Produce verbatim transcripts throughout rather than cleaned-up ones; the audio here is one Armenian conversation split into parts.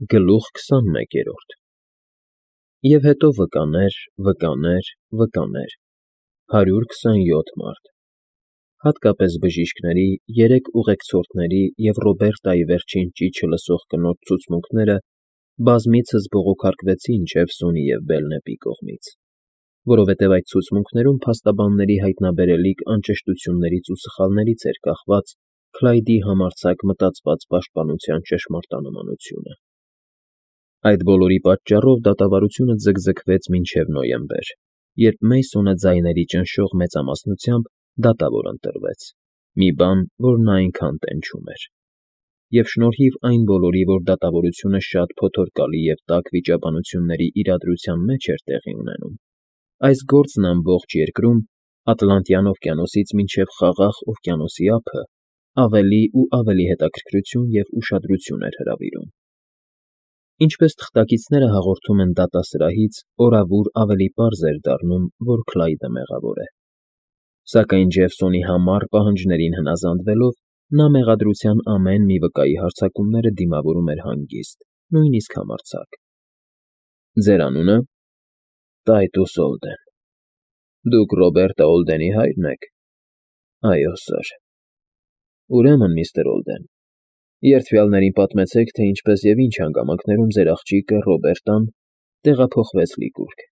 Գլուխ քսանմեկերորդ Եվ հետո վկաներ, վկաներ, վկաներ, հարյուր քսանյոթ մարդ, հատկապես բժիշկների, երեք ուղեկցորդների և Ռոբերտայի վերջին ճիչը լսող կնոջ ցուցմունքները բազմիցս բողոքարկվեցին Ջեֆսոնի և Բելնեպի կողմից, որովհետև այդ ցուցմունքներում փաստաբանների հայտնաբերելիք անճշտություններից ու սխալներից էր կախված Քլայդի համարձակ մտածված պաշտպանության ճշմարտանմանությունը։ Այդ բոլորի պատճառով դատավարությունը ձգձգվեց մինչև նոյեմբեր, երբ Մեյսոնը ձայների ճնշող մեծամասնությամբ դատավոր ընտրվեց, մի բան, որ նա այնքան տենչում էր։ Եվ շնորհիվ այն բոլորի, որ դատավորությունը շատ փոթորկալի և տաք վիճաբանությունների իրադրության մեջ էր տեղի ունենում, այս գործն ամբողջ երկրում, Ատլանտյան օվկիանոսից մինչև Խաղաղ օվկիանոսի ափը, ավելի ու ավելի հետաքրքրություն և ուշադրություն էր հրավիրում։ Ինչպես թղթակիցները հաղորդում են դատասրահից, օրավուր ավելի պարզ էր դառնում, որ Քլայդը մեղավոր է։ Սակայն Ջեֆսոնի համառ պահանջներին հնազանդվելով, նա մեղադրության ամեն մի վկայի հարձակումները դիմավորում էր հանգիստ, նույնիսկ համարձակ։ Ձեր անունը։ Տայտուս Օլդեն։ Դուք Ռոբերտա Օլդենի հա՞յրն եք։ Այո, սըր։ Ուրեմն, միստր Օլդեն, երդվյալներին պատմեցեք, թե ինչպես և ինչ հանգամանքներում ձեր աղջիկը Ռոբերտան տեղափոխվեց Լիգուրգ։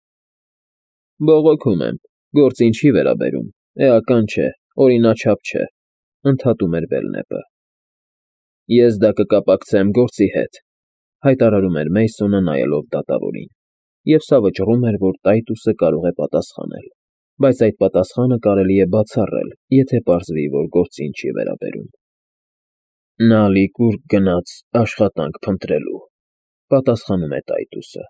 Բողոքում եմ, գործին չի վերաբերում, էական չէ, օրինաչափ չէ, ընդհատում էր Բելնեպը։ Ես դա կկապակցեմ գործի հետ, հայտարարում էր Մեյսոնը, նայելով դատավորին, և սա վճռում էր, որ Տայտուսը կարող է պատասխանել, բայց այդ պատասխանը կարելի է բացառել, եթե պարզվի, որ գործին չի վերաբերում։ Նա Լիգուրգ գնաց աշխատանք փնտրելու, պատասխանում է Տայտուսը։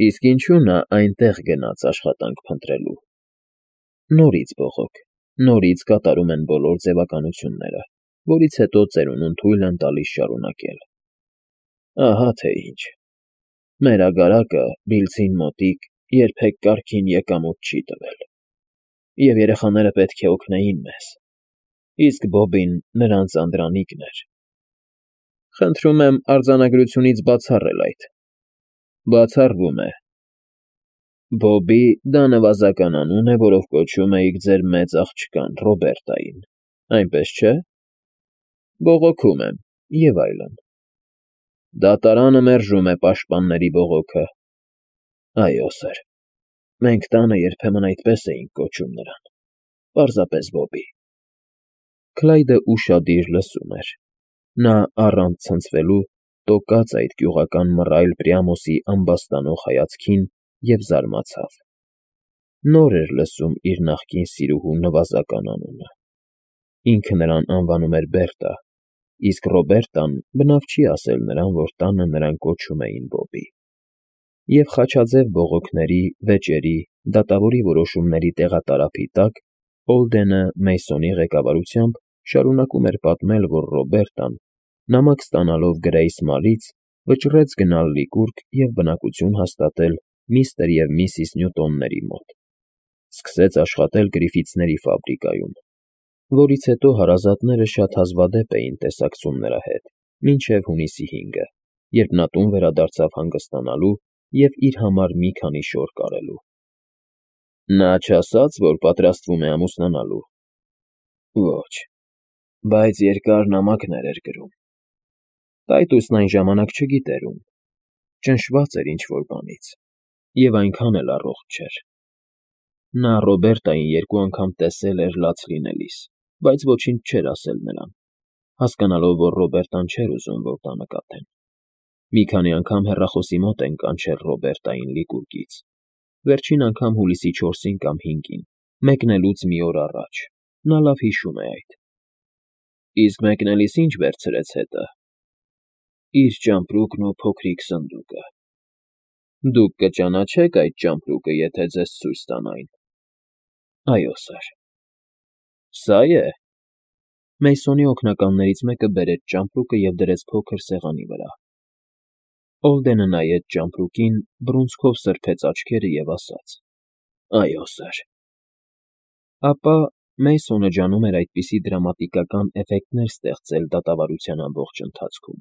Իսկ ինչու՞ նա այնտեղ գնաց աշխատանք փնտրելու։ Նորից բողոք, նորից կատարում են բոլոր ձևականությունները, որից հետո ծերունուն թույլ են տալիս շարունակել։ Ահա թե ինչ։ Մեր ագարակը Բիլձին մոտիկ երբեք կարգին եկամուտ չի տվել, և երեխաները պետք է օգնեին մեզ, իսկ Բոբին նրանց անդրանիկն էր։ Խնդրում եմ արձանագրությունից բացառել այդ։ Բացառվում է։ Բոբի դա նվազական անուն է, որով կոչում էիք ձեր մեծ աղջկան Ռոբերտային, այնպես չէ։ Բողոքում եմ, և այլն։ Դատարանը մերժում է պաշտպանների բողոքը։ Այո, սըր, մենք տանը երբեմն այդպես էինք կոչում նրան, պարզապես Բոբի։ Քլայդը ուշադիր լսում էր։ Նա, առանց ցնցվելու, տոկաց այդ գյուղական մռայլ Պրիամոսի ամբաստանող հայացքին և զարմացավ։ Նոր էր լսում իր նախկին սիրուհու նվազական անունը։ Ինքը նրան անվանում էր Բերտա, իսկ Ռոբերտան բնավ չի ասել նրան, որ տանը նրան կոչում էին Բոբի։ Եվ խաչաձև բողոքների, վեճերի, դատավորի որոշումների տեղատարափի տակ Օլդենը Մեյսոնի ղեկավարությամբ շարունակում էր պատմել, որ Ռոբերտան, նամակ ստանալով Գրեյս Մալից, վճռեց գնալ Լիգուրգ և բնակություն հաստատել միստր և միսիս Նյուտոնների մոտ։ Սկսեց աշխատել Գրիֆիթսների ֆաբրիկայում, որից հետո հարազատները շատ հազվադեպ էին տեսակցում նրա հետ, մինչև հունիսի հինգը, երբ նա տուն վերադարձավ հանգստանալու և իր համար մի քանի շոր կարելու։ Նա չասա՞ց, որ պատրաստվում է ամուսնանալու։ Ոչ, բայց երկար նամակներ էր գրում։ Տայտուսն այն ժամանակ չգիտեր ում, ճնշված էր ինչ֊որ բանից, և այնքան էլ առողջ չէր։ Նա Ռոբերտային երկու անգամ տեսել էր լաց լինելիս, բայց ոչինչ չէր ասել նրան, հասկանալով, որ Ռոբերտան չէր ուզում, որ դա նկատեն։ Մի քանի անգամ հեռախոսի մոտ են կանչել Ռոբերտային Լիգուրգից, վերջին անգամ հուլիսի չորսին կամ հինգին, մեկնելուց մի օր առաջ, նա լավ հիշում է այդ։ Իսկ մեկնելիս ի՞նչ վերցրեց հետը։ Իր ճամպրուկն ու փոքրիկ սնդուկը։ Դուք կճանաչե՞ք այդ ճամպրուկը, եթե ձեզ ցույց տան այն։ Այո, սըր։ Սա՞ է։ Մեյսոնի օգնականներից մեկը բերեց ճամպրուկը և դրեց փոքր սեղանի վրա։ Օլդենը նայեց ճամպրուկին, բռունցքով սրբեց աչքերը և ասաց. Այո, սըր։ Ապա Մեյսոնը ջանում էր այդպիսի դրամատիկական էֆեկտներ ստեղծել դատավարության ամբողջ ընթացքում,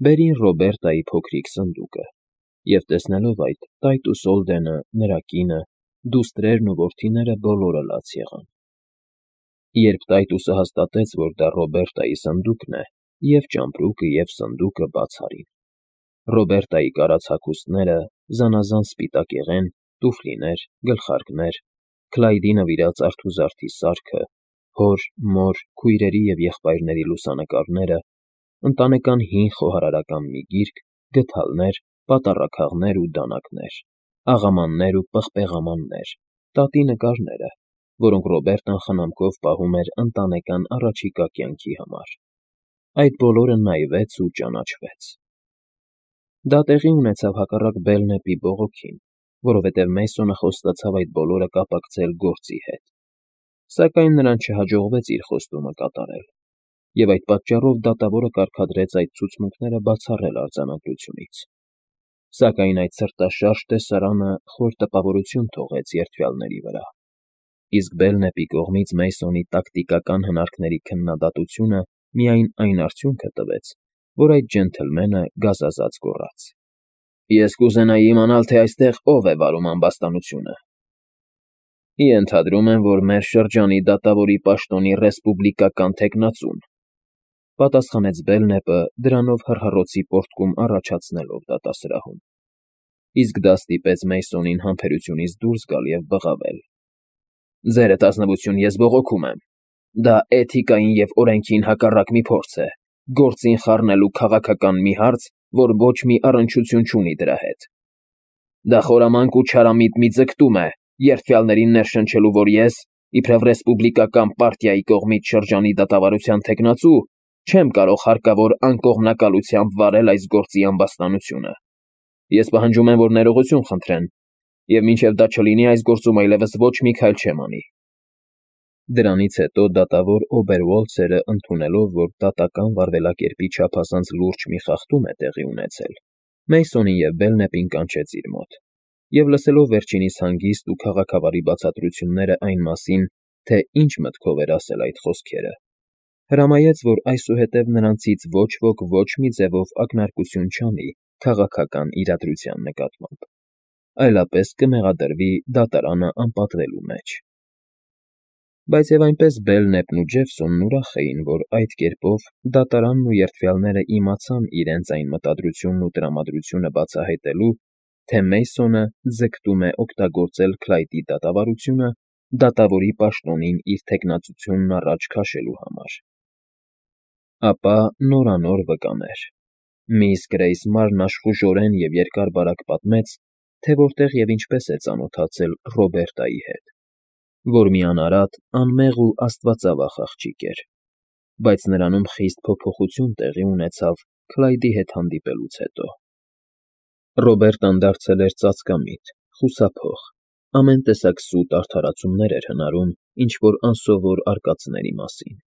բերին Ռոբերտայի փոքրիկ սնդուկը և, տեսնելով այդ, Տայտուս Օլդենը, նրա կինը, դուստրերն ու որդիները բոլորը լաց եղան։ Երբ Տայտուսը հաստատեց, որ դա Ռոբերտայի սնդուկն է, և ճամպրուկը, և սնդուկը բաց արին։ Ռոբերտայի կարած հագուստները, զանազան սպիտակեղեն, տուֆլիներ, գլխարկներ, Քլայդի նվիրած արթուզարդի սարքը, հոր, մոր, քույրերի և եղբայրների լուսանկարները, ընտանեկան հին խոհարարական մի գիրք, գդալներ, պատառաքաղներ ու դանակներ, աղամաններ ու պղպեղամաններ, տատի նկարները, որոնք Ռոբերտան խնամքով պահում էր ընտանեկան առաջիկա կյանքի համար։ Այդ բոլորը նայվեց ու ճանաչվեց։ Դա տեղի ունեցավ հակառակ Բելնեպի բողոքին, որովհետև Մեյսոնը խոստացավ այդ բոլորը կապակցել գործի հետ։ Սակայն նրան չհաջողվեց իր խոստումը կատարել, և այդ պատճառով դատավորը կարգադրեց այդ ցուցմունքները բացառել արձանագրությունից։ Սակայն այդ սրտաշարժ տեսարանը խոր տպավորություն թողեց երդվյալների վրա, իսկ Բելնեպի կողմից Մեյսոնի տակտիկական հնարքների քննադատությունը միայն այն արդյունքը տվեց, որ այդ ջենթլմենը գազազած գոռաց. «Ես կուզենայի իմանալ, թե այստեղ ով է վարում ամբաստանությունը»։ «Ենթադրում եմ, որ մեր շրջանի դատավորի պաշտոնի ռեսպուբլիկական թեկնածուն», պատասխանեց Բելնեպը, դրանով հռհռոցի պոռթկում առաջացնելով դատասրահում։ Իսկ դա ստիպեց Մեյսոնին համբերությունից դուրս գալ և բղավել. «Ձերդ ազնվություն, ես բողոքում եմ։ Դա էթիկային և օրենքին հակառակ մի փորձ է, գործին խառնելու քաղաքական մի հարց, որ ոչ մի առնչություն չունի դրա հետ։ Դա խորամանկ ու չարամիտ մի ձգտում է, երդվյալներին ներշնչելու, որ ես, իբրև ռեսպուբլիկական պարտիայի կողմից շրջանի դատավարության թեկնածու, չեմ կարող հարկավոր անկողմնակալությամբ վարել այս գործի ամբաստանությունը։ Ես պահանջում եմ, որ ներողություն խնդրեն, և մինչև դա չլինի, այս գործում այլևս ոչ մի քայլ չեմ անի»։ Դրանից հետո դատավոր Օբերվոլցերը, ընդունելով, որ դատական վարվելակերպի չափազանց լուրջ մի խախտում է տեղի ունեցել, Մեյսոնին և Բելնեպին կանչեց իր մոտ և, լսելով վերջինիս հանգիստ ու քաղաքավարի բացատրությունները այն մասին, թե ինչ մտքով էր ասել այդ խոսքերը, հրամայեց, որ այսուհետև նրանցից ոչ ոք ոչ մի ձևով ակնարկություն չանի քաղաքական իրադրության նկատմամբ, այլապես կմեղադրվի դատարանը անպատվելու մեջ։ Բայց և այնպես Բելնեպն ու Ջեֆսոնն ուրախ էին, որ այդ կերպով դատարանն ու երդվյալները իմացան իրենց այն մտադրությունն ու տրամադրությունը բացահայտելու, թե Մեյսոնը ձգտում է օգտագործել Քլայդի դատավարությունը դատավորի պաշտոնին իր թեկնածությունն առաջ քաշելու համար։ Ապա նորանոր վկաներ։ Միս Գրեյս Մարն աշխուժորեն և երկար֊բարակ պատմեց, թե որտեղ և ինչպես է ծանոթացել Ռոբերտայի հետ, որ մի անարատ, անմեղ ու աստվածավախ աղջիկ էր, բայց նրանում խիստ փոփոխություն տեղի ունեցավ Քլայդի հետ հանդիպելուց հետո։ Ռոբերտան դարձել էր ծածկամիտ, խուսափող, ամեն տեսակ սուտ արդարացումներ էր հնարում ինչ֊որ անսովոր արկածների մասին։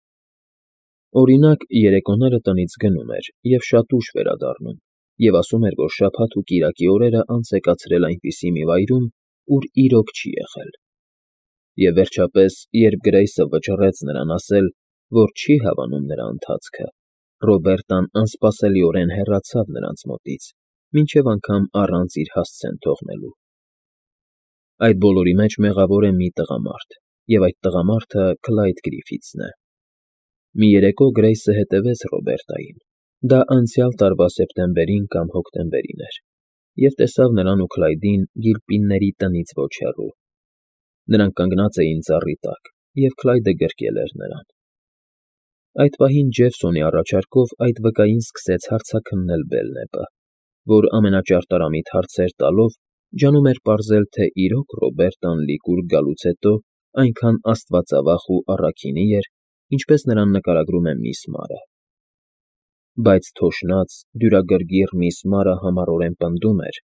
Օրինակ, երեկոները տնից գնում էր և շատ ուշ վերադառնում և ասում էր, որ շաբաթ ու կիրակի օրերը անց է կացրել այնպիսի մի վայրում, ուր իրոք չի եղել։ Եվ վերջապես, երբ Գրեյսը վճռեց նրան ասել, որ չի հավանում նրա ընթացքը, Ռոբերտան անսպասելիորեն հեռացավ նրանց մոտից, մինչև անգամ առանց իր հասցեն թողնելու։ Այդ բոլորի մեջ մեղավոր է մի տղամարդ, և այդ տղամարդը Քլայդ Գրիֆիթսն է։ Մի երեկո Գրեյսը հետևեց Ռոբերտային, դա անցյալ տարվա սեպտեմբերին կամ հոկտեմբերին էր, և տեսավ նրան ու Քլայդին Գիլպինների տնից ոչ հեռու։ Նրանք կանգնած էին ծառի տակ, և Քլայդը գրկել էր նրան։ Այդ պահին Ջեֆսոնի առաջարկով այդ վկային սկսեց հարցաքննել Բելնեպը, որ ամենաճարտարամիտ հարցեր տալով ջանում էր պարզել, թե իրոք Ռոբերտան լիկուր գալուց հետո այնքան աստվածավախ ու առաքինի էր, ինչպես նրան նկարագրում է միս Մարը։ Բայց թոշնած, դյուրագրգիռ միս Մարը համառորեն պնդում էր,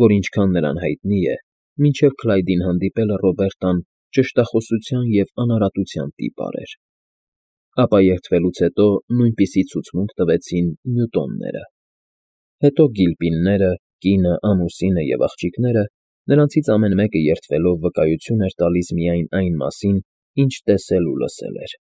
որ ինչքան նրան հայտնի է, մինչև Քլայդին հանդիպելը Ռոբերտան ճշտախոսության և անարատության տիպար էր։ Ապա երդվելուց հետո նույնպիսի ցուցմունք տվեցին Նյուտոնները։ Հետո Գիլպինները, կինը, ամուսինը և աղջիկները, նրանցից ամեն մեկը երդվելով վկայություն էր տալիս միայն այն մասին, ինչ տեսել ու լսել էր։